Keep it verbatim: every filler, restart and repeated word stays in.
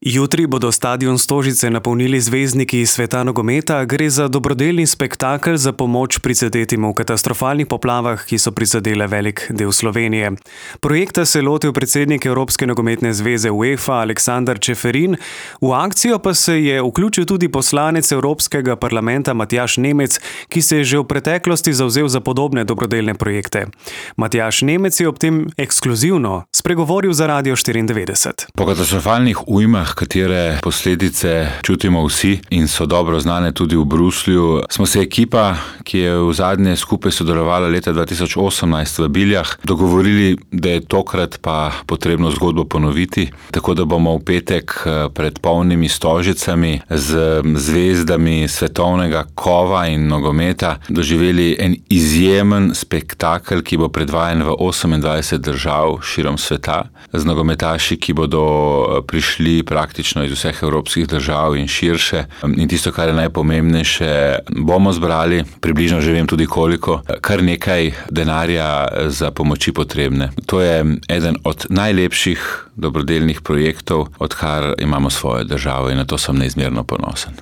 Jutri bodo stadion Stožice napolnili zvezdniki iz sveta nogometa. Gre za dobrodelni spektakel za pomoč prizadetim v katastrofalnih poplavah, ki so prizadele velik del Slovenije. Projekta se je lotil predsednik Evropske nogometne zveze UEFA Aleksander Čeferin. V akcijo pa se je vključil tudi poslanec Evropskega parlamenta Matjaž Nemec, ki se je že v preteklosti zavzel za podobne dobrodelne projekte. Matjaž Nemec je ob tem ekskluzivno spregovoril za Radio štiriindevetdeset. Po katastrofalnih ujmah, katere posledice čutimo vsi in so dobro znane tudi v Bruslju, smo se ekipa, ki je v zadnje skupaj sodelovala leta dva tisoč osemnajst v Biljah, dogovorili, da je tokrat pa potrebno zgodbo ponoviti, tako da bomo v petek pred polnimi Stožicami z zvezdami svetovnega kova in nogometa doživeli en izjemen spektakel, ki bo predvajan v osemindvajset držav širom sveta, z nogometaši, ki bodo prišli praktično iz vseh evropskih držav in širše. In tisto, kar je najpomembnejše, bomo zbrali, približno že vem tudi koliko, kar nekaj denarja za pomoči potrebne. To je eden od najlepših dobrodelnih projektov, odkar imamo svojo državo, in na to sem neizmerno ponosen.